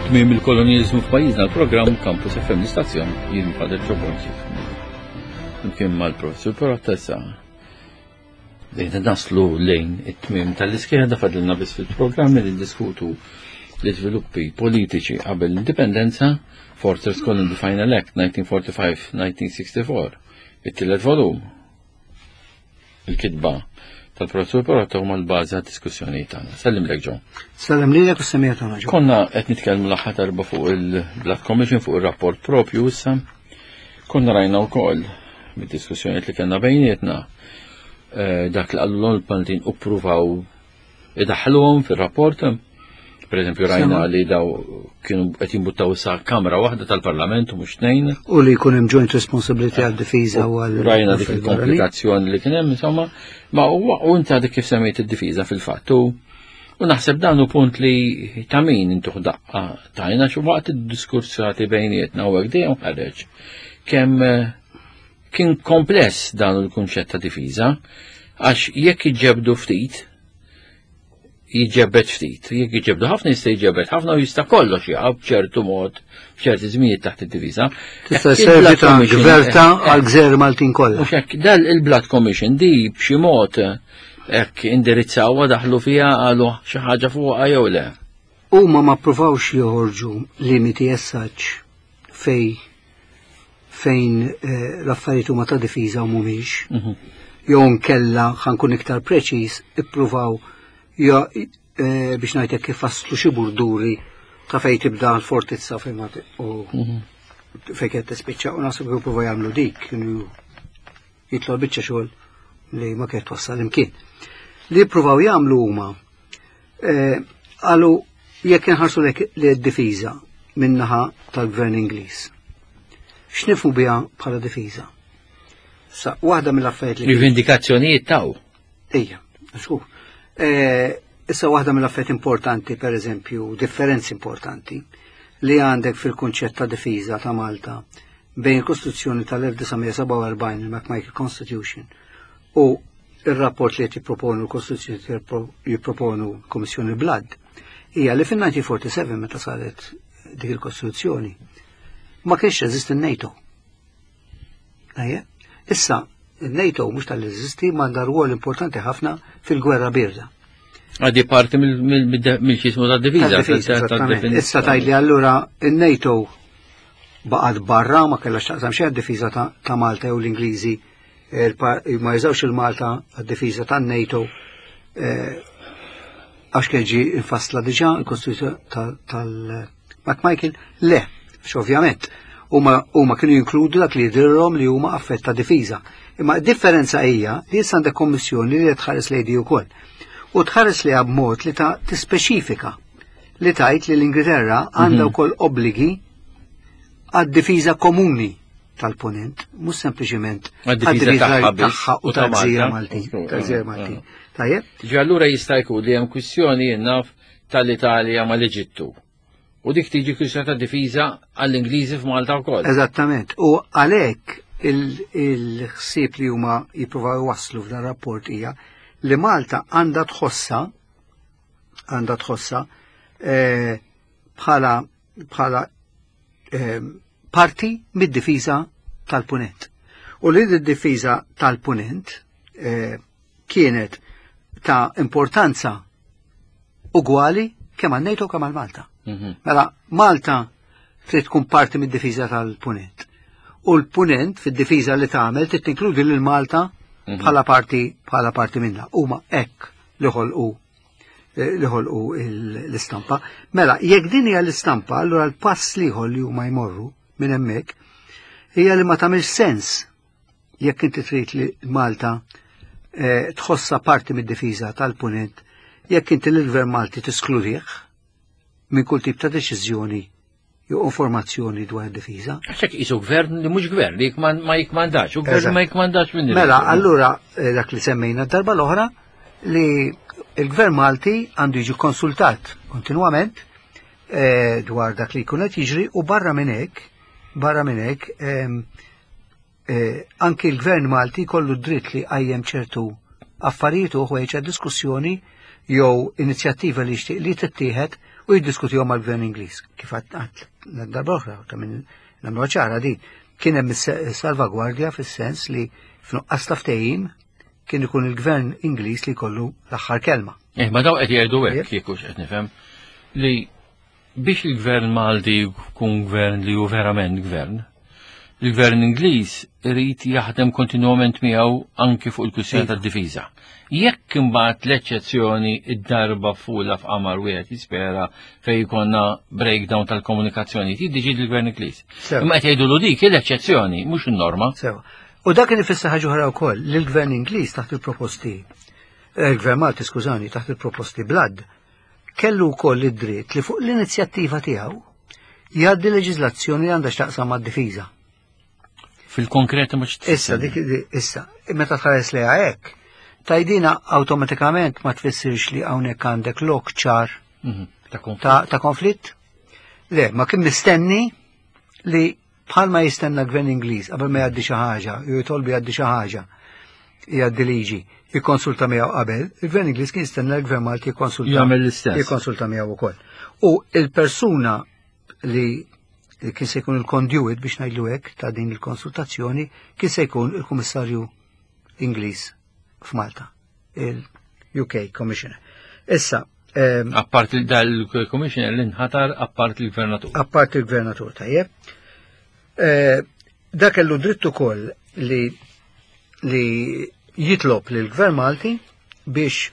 Tmiem il-kolonjaliżmu f'pajjiżna l-programm Campus FM l-istazzjon jien Father Ġobonzi. Imkien mal-professur Perotta issa Bdejna naslu lejn it-tmiem tal-iskeda fadilna biss fil-programm li diskutu l-iżviluppi politiċi qabel l-indipendenza, Fortress Colin the Final Act 1945-1964, it-tielet volum. Il-kitba tal-professur Porotto huma l-bażi għad-diskussjoni tagħna. Sellim lek ġo. Sellem lilek u semija tagħna ġo. Konna qed nitkellmu l-aħħar darba fuq il-Black Commission fuq ir-rapport propju issa. Konna rajna wkoll mid-diskussjonijiet li kellna bejnietna eh, dak li qallu l-Maltin u ppruvaw idaħħluhom fir-rapport. Per eżempju rajna li daw kienu qed jimbuttaw sa kamra waħda tal-Parlament u mhux tnejn. U li jkun hemm joint responsibility għad-difiża u għal. Rajna dik il-komplikazzjoni li kien hemm insomma, ma u inti għadek kif semmejt id-difiża fil-fatt. U naħseb dan hu punt li ta' min intuħ daqqa tajna xi waqt id-diskursati bejnietna u hekk dejjem ħareġ kemm eh, kien kompless dan il-kunċett ta' difiża għax jekk iġġebdu ftit jiġġebbed ftit, jekk jiġġebdu ħafna jista' jiġġebbed ħafna u jista' kollox jaqa' b'ċertu mod, b'ċerti żminijiet taħt id-diviża. Tista' servi ta' gverta eh, għal gżer Maltin kollha. Mhux hekk, dal il-Blood Commission di b'xi mod Hekk indirizzawha daħlu fiha qalu xi ħaġa fuqha jew le? Huma ma ppruvawx joħorġu limiti as such fej fejn eh, l-affarijiet huma ta' difiża u mhumiex. Mhm. Jew nkella ħankun iktar preċiż, ippruvaw eh, biex ngħidlek kif faslu xi burduri ta' fejn tibda l-fortizza fejn ma u mhm. fejn qed tispiċċa u naħseb jippruvaw jagħmlu dik kienu jitlu biċċa xogħol li ma kienet twassal imkien. Li jippruvaw jagħmlu huma eh, qalu jekk inħarsu lek li d-difiża min-naħa tal-Gvern Ingliż. X'nifhu biha bħala difiża? Sa waħda mill-affarijiet li. Rivendikazzjonijiet taw. Ejja, xur. Eh, issa waħda mill-affarijiet importanti, per eżempju, differenzi importanti li għandek fil-kunċett ta' difiża ta' Malta bejn il-Kostituzzjoni tal-1947, il-McMichael Constitution, u il-rapport li qed jipproponu l-Kostituzzjoni jipproponu l-Kommissjoni Blood, hija li fin-1947 meta saret dik il-Kostituzzjoni ma kienx jeżisti n-NATO. Issa, il-NATO mhux tal-eżisti m'għandha rwol importanti ħafna fil-gwerra birda. Għadi parti mill-ċismu ta' diviża. Issa tajli allura il-NATO baqgħet barra ma kellha x'taqsam xejn għad-difiża ta' Malta jew l-Ingliżi eh, ma jużawx il-Malta għad-difiża tan-NATO eh, għax kien ġi infassla diġà il-Kostituzzjoni tal-McMichael, le, ovvjament huma kienu jinkludu dak li jidhirhom li huma affett ta' difiża. Imma d-differenza hija li issa għandek kommissjoni li tħares lejdi wkoll. U tħares li b'mod li ta' tispeċifika li tajt li l-Ingilterra għandha mhm. wkoll obbligi għad-difiża komuni tal-ponent, mhux sempliċement għad-difiża tagħha u tal-gżira Maltin. Tal-gżira Maltin. Tajjeb? Ġi allura jista' jkun li hemm kwistjoni naf tal-Italja mal-Eġittu. U dik tiġi kwistjoni ta' difiża għall-Ingliżi f'Malta wkoll. Eżattament. U għalhekk il-ħsieb li huma jippruvaw iwasslu f'dan rapport hija li Malta għandha tħossa għandha tħossa eh, bħala bħala eh, parti mid-difiża tal-punent. U li d-difiża tal-punent eh, kienet ta' importanza ugwali kemm għal NATO kemm għal Malta. Mhm. Mela Malta trid tkun parti mid-difiża tal-punent. U l-punent fid-difiża li tagħmel trid tinkludi lil Malta mhm. bħala parti bħala parti minnha. Huma hekk li ħolqu eh, li ħolqu l-istampa. Mela, jekk din hija l-istampa, allura l-pass liħor li huma jmorru minn hemmhekk hija li ma tagħmilx sens jekk inti trid li Malta eh, tħossa parti mid-difiża tal-punent, jekk inti l-Gvern Malti tiskludih minn kull tip ta' deċiżjoni jew informazzjoni dwar id-difiża. Għaxek isu gvern li mhux gvern li ma jikmandax, u gvern ma jikmandax minn. Mela, allura eh, dak li semmejna darba l-oħra li il-gvern Malti għandu jiġi konsultat kontinwament eh, dwar dak li jkun qed jiġri u barra minn hekk, barra minn hekk ehm, eh, anki l-gvern Malti kollu dritt li qajjem ċertu affarijiet u ħwejġ diskussjoni jew inizjattiva li jixtieq li tittieħed u jiddiskutihom mal-Gvern Ingliż. Kif għadt darba oħra, ta' minn nagħmluha ċara din, kien hemm salvagwardja fis-sens li f'nuqqas ta' ftehim kien ikun il-Gvern Ingliż li jkollu l-aħħar kelma. Eh, ma daw qed jgħidu hekk kieku qed nifhem li biex il-Gvern Malti jkun gvern li hu verament gvern, il-Gvern Ingliż irid jaħdem kontinwament miegħu anki fuq il-kwistjoni iva. tad-difiża. Jekk imbagħad l-eċċezzjoni id-darba fula f'qamar wieħed jispera fejn jkollna breakdown tal-komunikazzjoni, jiddeċidi l-Gvern Ingliż. Imma qed jgħidu dik l-eċċezzjoni, mhux in-norma. Sewa. U dak kien ifisser ħaġa oħra wkoll li l-Gvern Ingliż taħt il-proposti, eh, il-Gvern Malti skużani, taħt il-proposti Blood, kellu wkoll id-dritt li fuq l-inizjattiva tiegħu jgħaddi leġiżlazzjoni li għandha x'taqsam mad-difiża. Fil-konkret mhux Issa dik issa, meta tħares lejha hekk, tajdina awtomatikament ma tfissirx li hawnhekk għandek lok ċar mhm, ta' konflitt. Le, ma kien mistenni li bħalma jistenna gvern Ingliż qabel ma jgħaddi xi ħaġa, jew jitolbu jgħaddi xi ħaġa, jgħaddi liġi, jikkonsulta miegħu qabel, il-gvern Ingliż kien jistenna l-gvern Malti jikkonsulta. Jagħmel l-istess. Jikkonsulta miegħu wkoll. U il-persuna li kien se jkun il-conduit biex ngħidlu hekk ta' din il-konsultazzjoni kien se jkun il-Kummissarju Ingliż f'Malta, il-UK Commissioner. Issa, Appart dal-Commissioner li nħatar appart il-Gvernatur. Appart il-Gvernatur, tajjeb. Eh, dak kellu dritt ukoll li li jitlob lil gvern Malti biex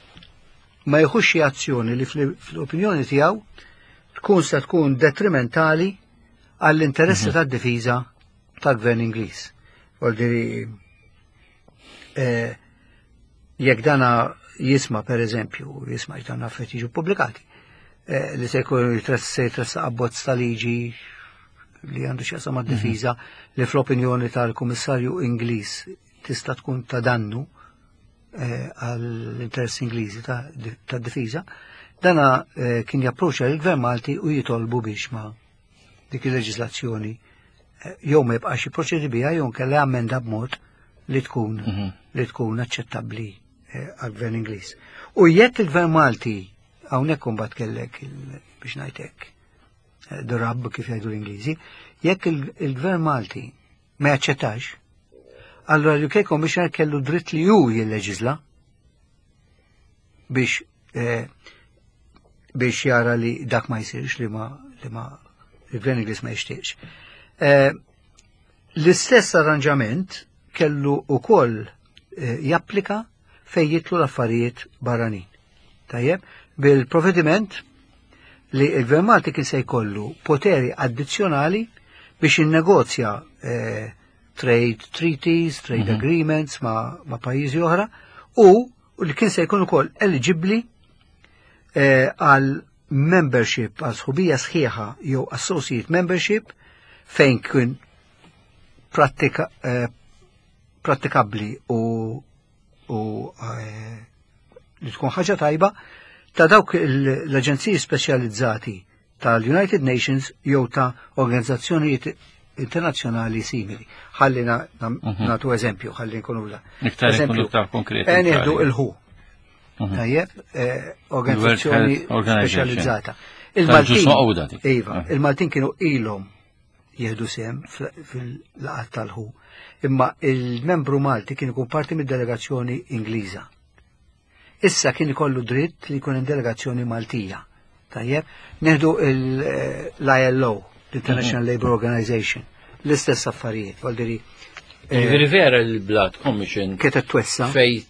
ma jieħux xi azzjoni li fl-opinjoni tiegħu tkun se tkun detrimentali għall-interessi mhm. tad-difiża tal-gvern Ingliż. Voldiri eh, jekk dana jisma per eżempju, jisma dan affett jiġu pubblikati, eh, li se jkun se jitressa abbozz ta' liġi li għandu x'jaqsam mad-difiża mhm. li fl-opinjoni tal-Kummissarju Ingliż tista' tkun ta' dannu eh, għall-interess Ingliżi ta' difiża, dana eh, kien japproċċa l-Gvern Malti u jitolbu biex ma dik il-leġislazzjoni eh, jew ma jibqax jipproċedi biha jew nkella ammenda b'mod li tkun mhm. li tkun aċċettabbli eh, għall-Gvern Ingliż. U jekk il-Gvern Malti hawnhekk imbagħad kellek biex ngħidlek eh, the rub kif jgħidu l-Ingliżi, jekk il-Gvern Malti ma jaċċettax, allura l-UK Commissioner kellu dritt li hu jilleġisla biex eh, biex jara li dak ma jsirx li ma li ma il-Gvern Ingliż ma jixtieqx. Eh, l-istess arranġament kellu ukoll eh, japplika fejn jitlu l-affarijiet barranin. Tajjeb, bil-provvediment li il-Gvern Malti kien se jkollu poteri addizzjonali biex jinnegozja eh, trade treaties, trade mm -hmm. agreements ma, ma pajjiżi oħra u li kien se jkun ukoll eligibbli eh, għal membership, għal sħubija sħiħa jew associate membership fejn kien prattika, eh, prattikabbli u, u eh, li tkun ħaġa tajba ta' dawk l-aġenziji speċjalizzati tal-United Nations jew ta' organizzazzjonijiet internazzjonali simili. Ħalli mhm. nagħtu eżempju, ħalli nkunu la. Iktar eżempju konkret. Eh, nieħdu il-ħu. Mhm. Tajjeb, eh, organizzazzjoni speċjalizzata. Il-Maltin, iva, eh. il-Maltin kienu ilhom jieħdu sehem fil-laqgħat tal-ħu. Imma il-membru Malti kien ikun parti mid-delegazzjoni Ingliża. Issa kien ikollu dritt li jkun hemm delegazzjoni Maltija. Tajjeb, neħdu l-ILO, l-International mhm. Labour Organization, l-istess affarijiet, voldiri. Eh, Ġifieri vera l-Blood Commission. Kienet twessa. Fej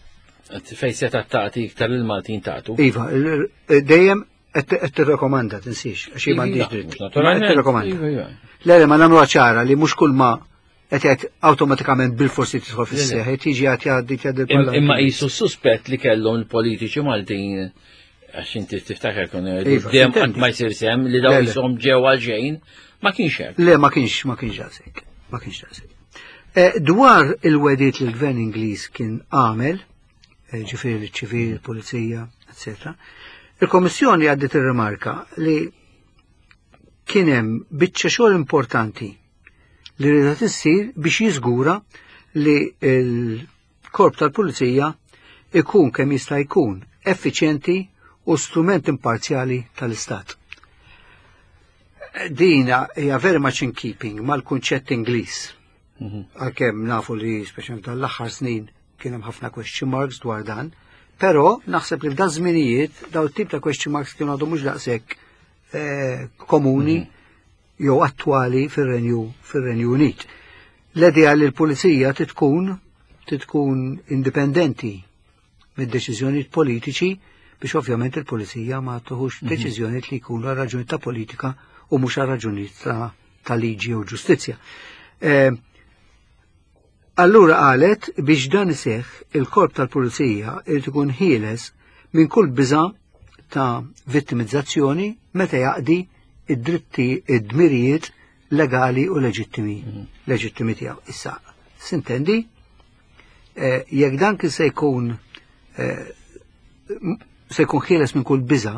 fej seta tagħti iktar il-Maltin tagħtu. Iva, dejjem qed tirrekomanda tinsiex għax jien m'għandix dritt. Qed tirrekomanda. Iva, iva. Le, le, ma nagħmluha ċara li mhux kull ma qed jgħid awtomatikament bil-forsi tidħol fis-seħ, qed jiġi qed jgħaddi jgħaddi l-Parlament. Imma qisu suspett li kellhom il-politiċi Maltin għax inti tiftakar kun iva, dejjem qatt ma jsir sem li daw jisom ġew għal xejn, ma kienx hekk. Le, ma kienx, ma kienx daqshekk. Ma kienx daqshekk. Eh, dwar il-wedit li l-gvern Ingliż kien għamel, eh, ġifieri l-ċivil, il-pulizija, eccetera, il-Komissjoni għaddit ir-rimarka li kien hemm biċċa xogħol importanti li rida tissir biex jiżgura li l-korp tal-pulizija ikun kemm jista' jkun effiċjenti u strument imparzjali tal-Istat. Dina hija very much in keeping mal-kunċett Ingliż. Għalkemm nafu li speċjalment tal-aħħar snin kien hemm ħafna question marks dwar dan, però naħseb li f'dan żminijiet daw tip ta' question marks kienu għadhom mhux daqshekk komuni jew attwali fir-Renju Unit. L-idea li l-pulizija titkun indipendenti mid-deċiżjonijiet politiċi biex ovvjament il-pulizija ma tuħux deċiżjonijiet li jkunu għal raġuni ta' politika u mhux għal raġunijiet ta' liġi u ġustizzja. Allura qalet biex dan iseħħ il-korp tal-pulizija irid ikun ħieles minn kull biża' ta' vittimizzazzjoni meta jaqdi id-dritti id-dmirijiet legali u leġittimi leġittimi tiegħu. Issa, sintendi, jekk dan kien se jkun se jkun ħieles minn kull biża'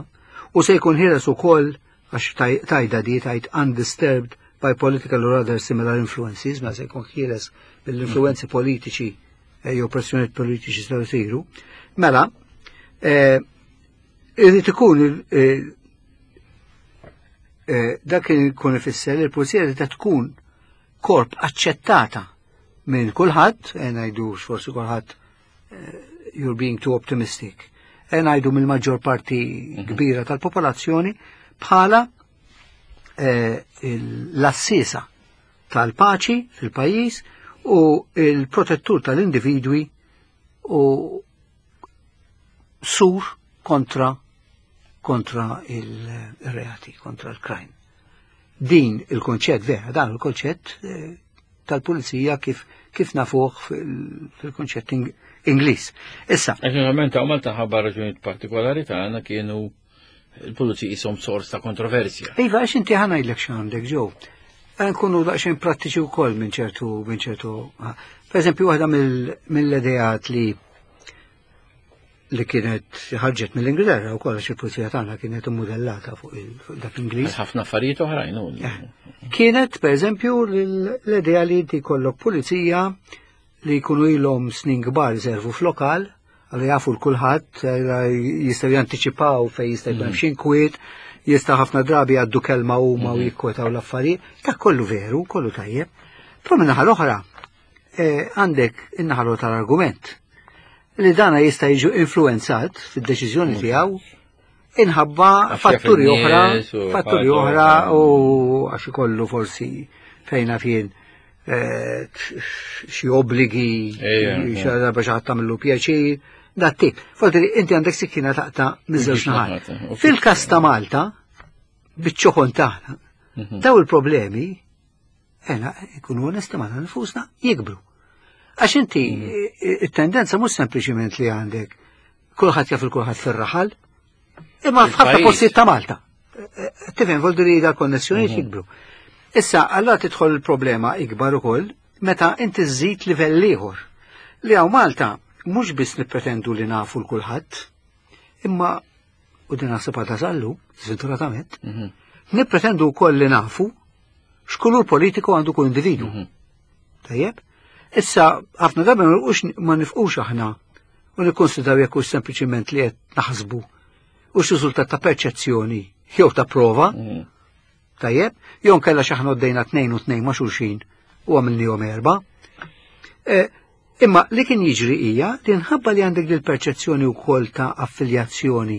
u se jkun ħieles ukoll għax tajda di tajt undisturbed by political or other similar influences, ma se jkun ħieles mill-influenzi politiċi jew pressjonijiet politiċi se jsiru. Mela, irid ikun dak ikun ifisser li l-pulizija trid tkun korp aċċettata minn kulħadd, ngħidu forsi kulħadd you're being too optimistic. Ngħidu mill-maġġor parti kbira tal-popolazzjoni bħala l-assisa tal-paċi fil-pajjiż u il-protettur tal-individwi u sur kontra il-reati, kontra l-crime. Din il-konċett vera, dan il-konċett tal-pulizija kif nafuh fil-konċett Ingliż. Issa. Naturalment, hawn Malta ħabba raġunijiet partikolari tagħna kienu il-pulizija jisom sors ta' kontroversja. Iva, għax inti ħa ngħidlek x'għandek ġew. Nkunu daqsxejn prattiċi wkoll minn ċertu, minn ċertu. Per eżempju, waħda mill-ideat li kienet ħarġet mill-Ingilterra u għax il-pulizija tagħna kienet immodellata fuq dak l-Ingliż. Ħafna affarijiet oħrajn. Kienet, per eżempju, l-idea li inti jkollok pulizija li jkunu ilhom snin kbar jservu f'lokal, għallu jafu l-kulħadd, jistgħu jantiċipaw fejn jista' jkun hemm xi inkwiet, jista' ħafna drabi għaddu kelma huma u jikkwetaw l-affarijiet. Dak kollu veru, kollu tajjeb. Però min-naħa l-oħra, għandek in-naħa l-oħra tal-argument li dana jista' jiġu influenzat fid-deċiżjoni tiegħu inħabba Għax jaf fatturi oħra, in-nies u fatturi ħaġa oħra oħra. u għax ikollu forsi fejna fien xi obbligi, xi darba xi ħadd tagħmillu pjaċir, dat tip. Forsi inti għandek sikkina taqta' miż-żewġ Mhux naħat. naħat, u Fil-każ ta' Malta, biċ-ċokon tagħna, daw il-problemi, ena, ikunu onesti magħna nfusna, jikbru. Għax inti, it-tendenza mhux sempliċiment li għandek kulħadd jaf il-kulħadd fir-raħal, imma f'ħafna Il-pajjiż. postijiet ta' Malta. Tifhem, voldu li da konnessjonijiet jikbru. Issa, allora tidħol il-problema ikbar ukoll meta inti żżid livell ieħor. Li hawn Malta mhux biss nippretendu li nafu l kulħadd, imma u din naħseb għadha sallu, sfortunatament, nippretendu wkoll li nafu x'kulur politiku għandu kull individu. Tajjeb? Issa, ħafna drabi ma nifqux aħna u nikkonsidraw jekk hux sempliċiment li qed naħsbu u x'riżultat ta' perċezzjoni jew ta' prova. Tajjeb? Jew nkella xi aħna għoddejna 2 u 2 ma' xulxin u għamilnihom 4. Imma li kien jiġri hija li nħabba li għandek dil perċezzjoni wkoll ta' affiljazzjoni.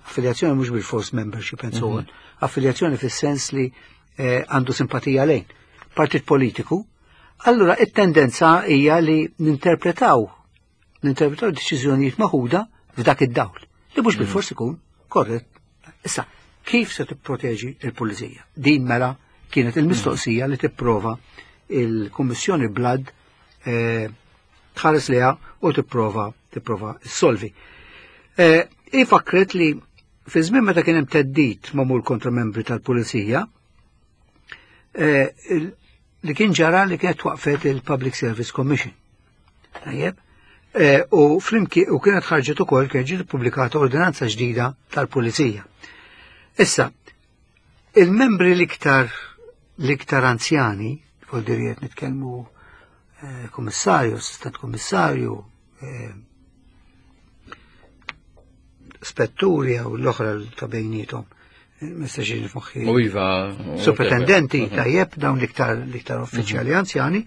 Affiljazzjoni mhux bil-force membership and so on. Affiljazzjoni fis-sens li għandu simpatija lejn partit politiku. Allura it-tendenza hija li ninterpretaw deċiżjonijiet maħuda f'dak id-dawl li mhux bil-fors ikun korrett. Issa, kif se tipproteġi il-pulizija? Din mela kienet il-mistoqsija li tipprova il-Kummissjoni Blood tħares liha u tipprova ssolvi. Ifakret li fi żmien meta kien hemm theddid magħmul kontra membri tal-pulizija, li kien ġara li kienet waqfet il-Public Service Commission. Tajjeb? U flimkien u kienet ħarġet ukoll kien ġiet ippubblikata ordinanza ġdida tal-Pulizija. Issa, il-membri l-iktar anzjani, vuol dire qed nitkellmu kummissarju, assistent kummissarju, Spetturi jew l-oħra ta' bejnietom. Mista ġini f'moħħi. U iva. Superintendenti tajjeb dawn l-iktar l-iktar uffiċjali anzjani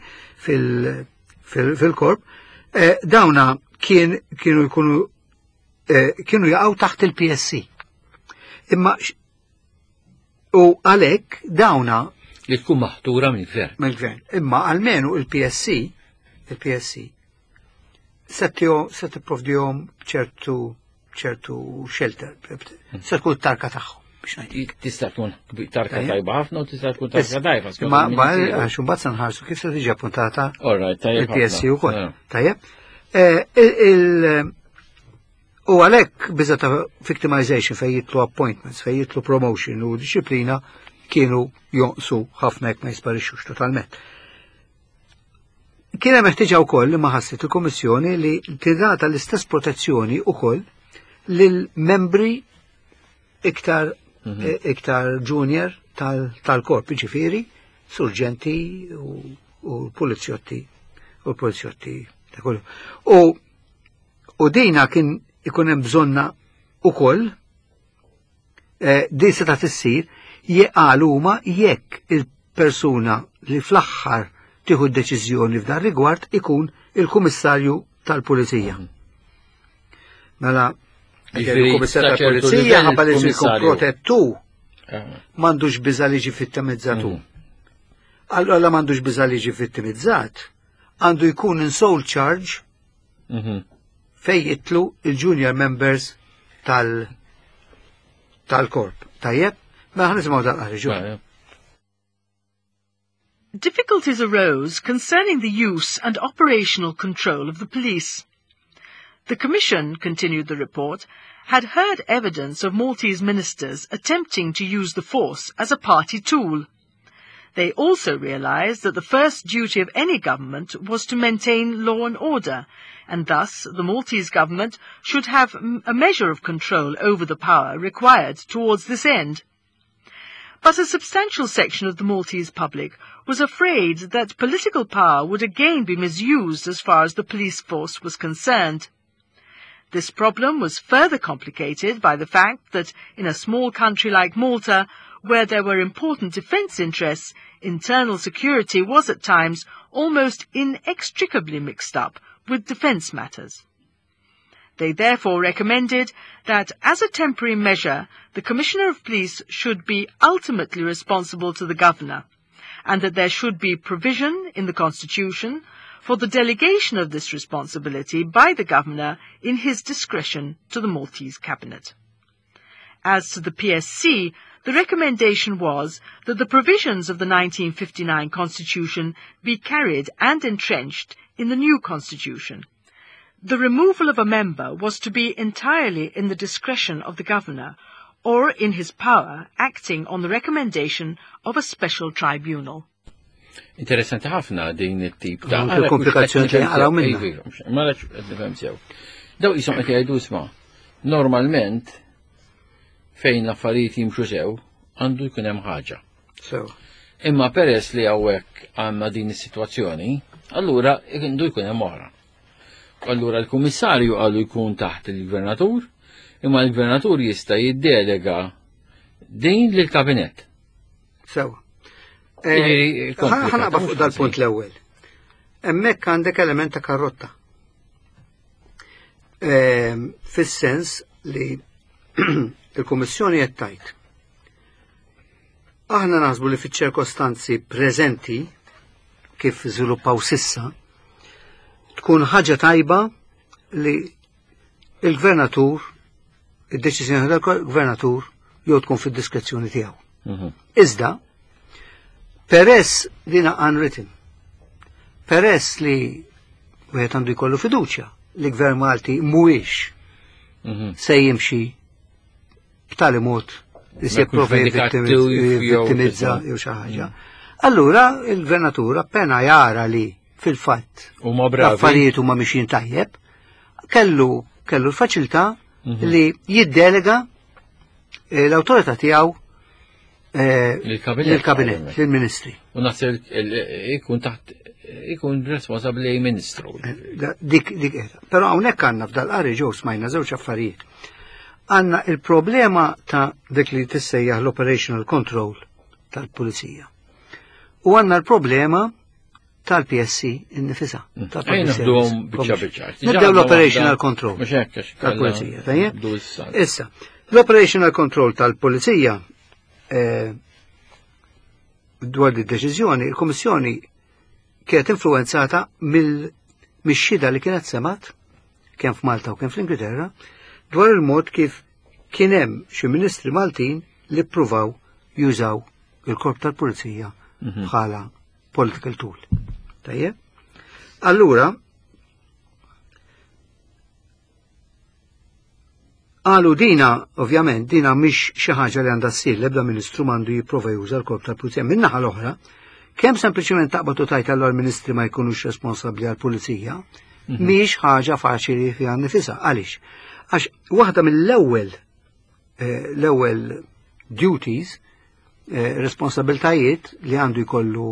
fil-korp. Dawna kien kienu jkunu kienu jaqgħu taħt il-PSC. Imma u għalhekk dawna li tkun maħtura mill-gvern. Mill-gvern. Imma almenu il-PSC, il-PSC, se tipprovdihom ċertu ċertu shelter, se tkun tarka tagħhom biex ngħid. Tista' tkun tarka tajba ħafna u tista' tkun tarka tajba. Ma għax imbagħad se nħarsu kif se tiġi appuntata il-PSC ukoll. Tajjeb. Eh, u għalhekk biża ta' victimization fejn jitlu appointments, fejn jitlu promotion u disciplina kienu jonqsu ħafna jekk ma jisparixxux totalment. Kien hemm ħtiġa wkoll li ma ħasset il-Kummissjoni li tingħata l-istess protezzjoni wkoll lil membri iktar iktar junior tal-korp, ġifieri surġenti u polizjotti u polizjotti ta' kollu. U dina kien ikun hemm bżonna ukoll din seta' tissir jeqal huma jekk il-persuna li fl-aħħar tieħu d-deċiżjoni f'dan rigward ikun il-Kummissarju tal-Pulizija. Mela, il-Kummissarju tal-Pulizija ħabba li jkun protettu m'għandux biża' li ġi vittimizzatu. Allora m'għandux biża' li ġi vittimizzat, għandu jkun in sole charge fej jitlu il-junior members tal tal-korp. Tajjeb, ma ħa nisimgħu dal-qari. Difficulties arose concerning the use and operational control of the police. The Commission, continued the report, had heard evidence of Maltese ministers attempting to use the force as a party tool. They also realized that the first duty of any government was to maintain law and order, and thus the Maltese government should have a measure of control over the power required towards this end. But a substantial section of the Maltese public was afraid that political power would again be misused as far as the police force was concerned. This problem was further complicated by the fact that in a small country like Malta, where there were important defence interests, internal security was at times almost inextricably mixed up with defence matters. They therefore recommended that, as a temporary measure, the Commissioner of Police should be ultimately responsible to the Governor, and that there should be provision in the Constitution for the delegation of this responsibility by the Governor in his discretion to the Maltese Cabinet. As to the PSC, the recommendation was that the provisions of the 1959 Constitution be carried and entrenched in the new Constitution. The removal of a member was to be entirely in the discretion of the Governor, or in his power, acting on the recommendation of a special tribunal. Interessanti ħafna din it-tip ta' komplikazzjoni li għaraw minna. Ma nafx qed nifhem sew. Daw qishom qed jgħidu isma' normalment fejn l-affarijiet jimxu sew għandu jkun hemm ħaġa. Sew. Imma peress li hawnhekk għandna din is-sitwazzjoni, allura għandu jkun hemm oħra. Allura l-kummissarju għandu jkun taħt il-gvernatur, imma l-gvernatur jista' jiddelega din lill-kabinett. Sew. Ħa naqbad fuq dal-punt l-ewwel. Hemmhekk għandek element ta' karrotta. Fis-sens li il-Kummissjoni qed tgħid. Aħna naħsbu li fiċ-ċirkostanzi preżenti kif żviluppaw sissa, tkun ħaġa tajba li il-gvernatur, id-deċiżjoni tal-gvernatur jew tkun fid-diskrezzjoni tiegħu. Iżda, peress dina unwritten, peress li wieħed għandu jkollu fiduċja li gvern Malti mhuwiex se jimxi b'tali mod li se jipprova jivvittimizza jew xi ħaġa. Allura il-gvernatur appena jara li fil-fatt l-affarijiet huma mixjin tajjeb, kellu kellu l-faċilità li jiddelega l-awtorità tiegħu lill-kabinett, lill-ministri. U naħseb ikun taħt ikun responsabbli ministru. Dik dik qiegħda. Però hawnhekk għandna f'dal-qari ġew smajna żewġ affarijiet. Għandna il-problema ta' dik li tissejjaħ l-operational control tal-pulizija. U għandna l-problema tal-PSC innifisha. Naħduhom biċċa biċċa. Nibdew l-operational control tal-pulizija. Issa, l-operational control tal-pulizija eh, dwar di deċiżjoni, il-Kummissjoni kienet influenzata mill-xhieda li kienet semat kemm f'Malta u kemm fl-Ingilterra dwar il-mod kif kien hemm xi ministri Maltin li ppruvaw jużaw il-korp tal-pulizija bħala political tool. Tajjeb? Allura, Qalu dina, ovvjament, dina mhix xi ħaġa li għandha ssir l-ebda ministru m'għandu jipprova juża l-korp tal-pulizija. Min-naħa l-oħra, kemm sempliċement taqbad u tajt allura l-ministri ma jkunux responsabbli għall-pulizija, mhix ħaġa faċli fiha nifisha. Għaliex? Għax waħda mill-ewwel eh, l-ewwel duties eh, responsabiltajiet li għandu jkollu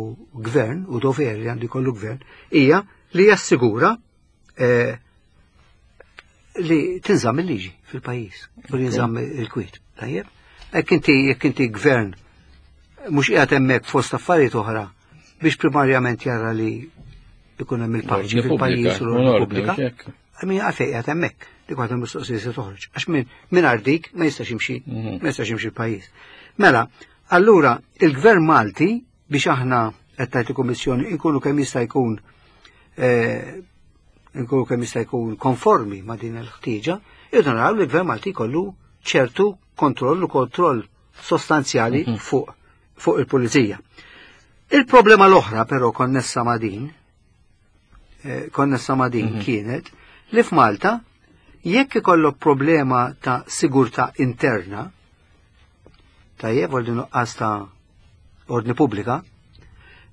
gvern u dover li għandu jkollu gvern hija li jassigura eh, li tinżamm il-liġi fil-pajjiż u li jinżamm il-kwiet. Tajjeb? Jekk inti jekk inti gvern mhux qiegħed hemmhekk fost affarijiet oħra biex primarjament jara li ikun hemm il-paċi fil-pajjiż u l-ordni pubblika. Min għalfejn qiegħed hemmhekk dik waħda mistoqsija se toħroġ. Għax minn dik ma jistax jimxi, ma jistax jimxi l-pajjiż. Mela, allura il-Gvern Malti biex aħna qed tgħid il-Kummissjoni nkunu kemm jista' jkun eh, nkunu kemm jista' jkun konformi ma' din il-ħtieġa, irridu naraw li l-Gvern Malti jkollu ċertu kontroll u kontroll sostanzjali fuq fuq il-pulizija. Il-problema l-oħra però konnessa ma' din, eh, konnessa ma' din kienet li f'Malta jekk ikollok problema ta' sigurtà interna, tajjeb għal nuqqas ta' ordni pubblika,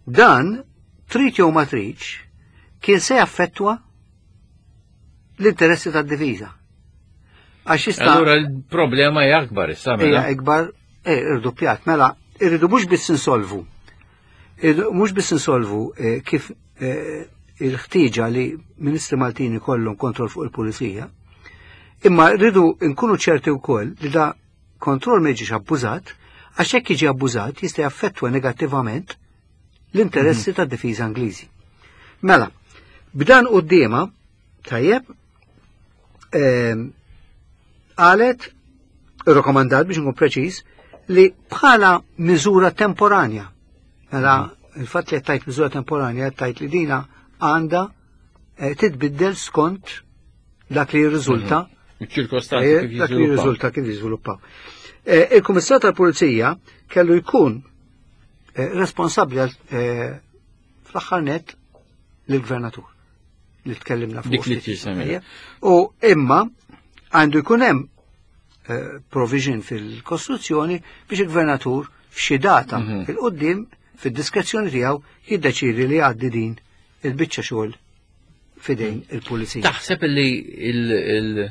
dan trid jew ma tridx kien se jaffettwa l-interessi tad-difiża. Għax jista' Allura l-problema hija akbar issa mela. Hija ikbar, eh, irduppjat, mela irridu mhux biss insolvu. Mhux biss insolvu eh, kif eh, il-ħtieġa li Ministri Maltin ikollhom kontroll fuq il-pulizija, imma rridu nkunu ċerti wkoll li da kontroll ma jiġix abbużat, għax jekk jiġi abbużat jista' jaffettwa negattivament l-interessi tad-difiża Ingliżi. Mela, b'dan quddiema, tajjeb, ehm, qalet, irrakkomandat biex nkun preċiż, li bħala miżura temporanja, mela il-fatt li tajt miżura temporanja tajt li dina għandha eh, titbiddel skont dak li jirriżulta Iċ-ċirkostanzi eh, kif dak li jiżviluppaw. jirriżulta kif jiżviluppaw. Eh, Il-Kummissar tal-Pulizija kellu jkun eh, responsabbli għal eh, fl-aħħar net lill-gvernatur li tkellimna fuq. Dik li ftit. tisemmi. Ejja. U imma għandu jkun hemm eh, provision fil-Kostituzzjoni biex il-gvernatur f'xi data il-qoddim fid-diskrezzjoni tiegħu jiddeċiedi li jgħaddi din il-biċċa xogħol fidejn il-pulizija. Taħseb li il-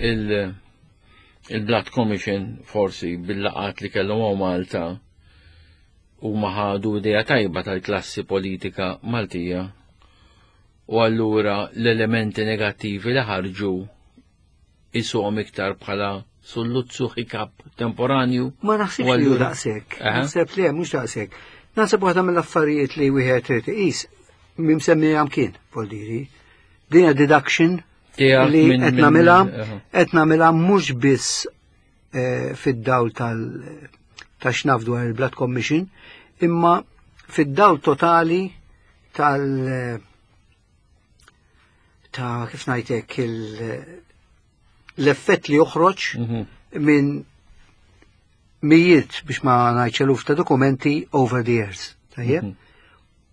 il- il-Blood Commission forsi bil-laqat li kellhom hawn Malta u ħadu idea tajba tal-klassi politika Maltija u allura l-elementi negattivi li ħarġu isuhom iktar bħala sulluzzu hiccup temporanju. Ma naħsibx U li hu allura- daqshekk. Aha. Naħseb li hemm mhux daqshekk. Naħseb waħda mill-affarijiet li wieħed trid iqis mimsemmija mkien, voldiri. Din hija deduction Tiegħek li minn- qed minn- nagħmilha aha. qed nagħmilha mhux biss eh, fid-dawl tal ta' xnaf dwar il-Blood Commission, imma fid-dawl totali tal ta' kif ngħidlek il- l-effett li joħroġ minn mijiet biex ma ngħidx eluf ta' dokumenti over the years. Tajjeb?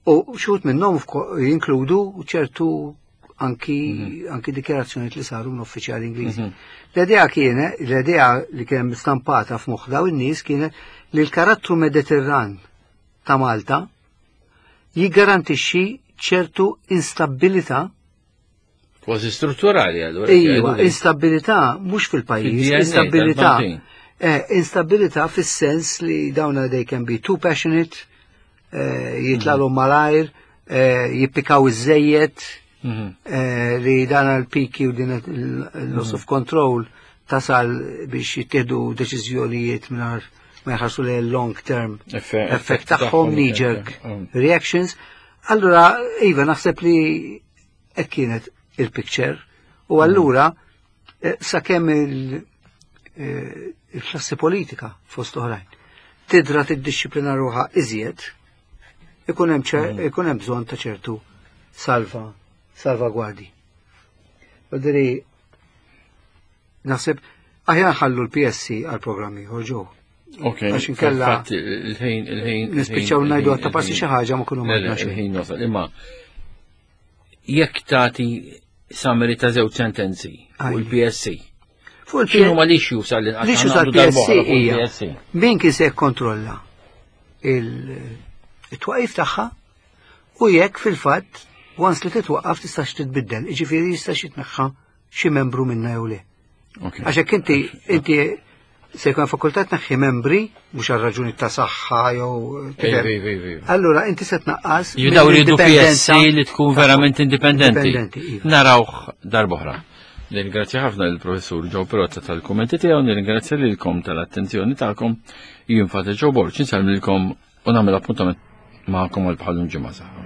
U xut minnhom jinkludu ċertu anki anki dikjarazzjonijiet li saru minn uffiċjali Ingliżi. L-idea kienet, l-idea li kien stampata f'moħħ daw in-nies kienet li l-karattru Mediterran ta' Malta jiggarantixxi ċertu instabilità. Kważi strutturali allura. Iva, instabilità mhux fil-pajjiż, Fid-DNA instabilità. tal-Maltin. Eh, instabilità fis-sens li dawna they can be too passionate, eh, jitlalhom malajr, eh, jippikaw iż-żejjed, eh, li dan l-piki u din il-loss of control Tasal biex jittieħdu deċiżjonijiet mingħajr ma jħarsu li long term effect tagħhom, knee jerk reactions. Allura, iva, naħseb li hekk kienet il-picture. U allura, sakemm il-klassi politika fost oħrajn tidra tiddixxiplina ruħha iżjed, ikun hemm ikun hemm bżonn ta' ċertu salvagwardi. Diri, naħseb aħjar ħallu l-PSC għal programmi ieħor ġew. Ok, Għax inkella fil-fatt, il-ħin, il-ħin. Nispiċċaw ngħidu għatta passi xi ħaġa ma kunu Le, ma xejn. il-ħin wasal. Imma jekk tagħti summary ta' żewġ sentenzi fuq Ajja. il-PSC. Fuq X'inhu ma l-issues għal L-issues tal-PSC hija min kien se jikkontrolla il-twaqif tagħha u jekk fil-fatt once li titwaqqaf tistax titbiddel, jiġifieri jistax jitneħħa xi membru minna jew le. Ok. Għax hekk inti se jkun fakultà tneħħi membri mhux għal raġuni ta' saħħa jew Ej, ej, ej, ej. Allura inti se tnaqqas Jidaw rridu mill-indipendenza PSC li tkun verament indipendenti. Indipendenti, iva. Narawh darb'oħra. Nirringrazzja ħafna lill-professur Joe Perotta tal-kummenti tiegħu, nirringrazzja lilkom tal-attenzjoni tagħkom. Jien Father Joe Borg, insellmilkom u nagħmel appuntament magħkom għal bħalum ġimgħa saħħa.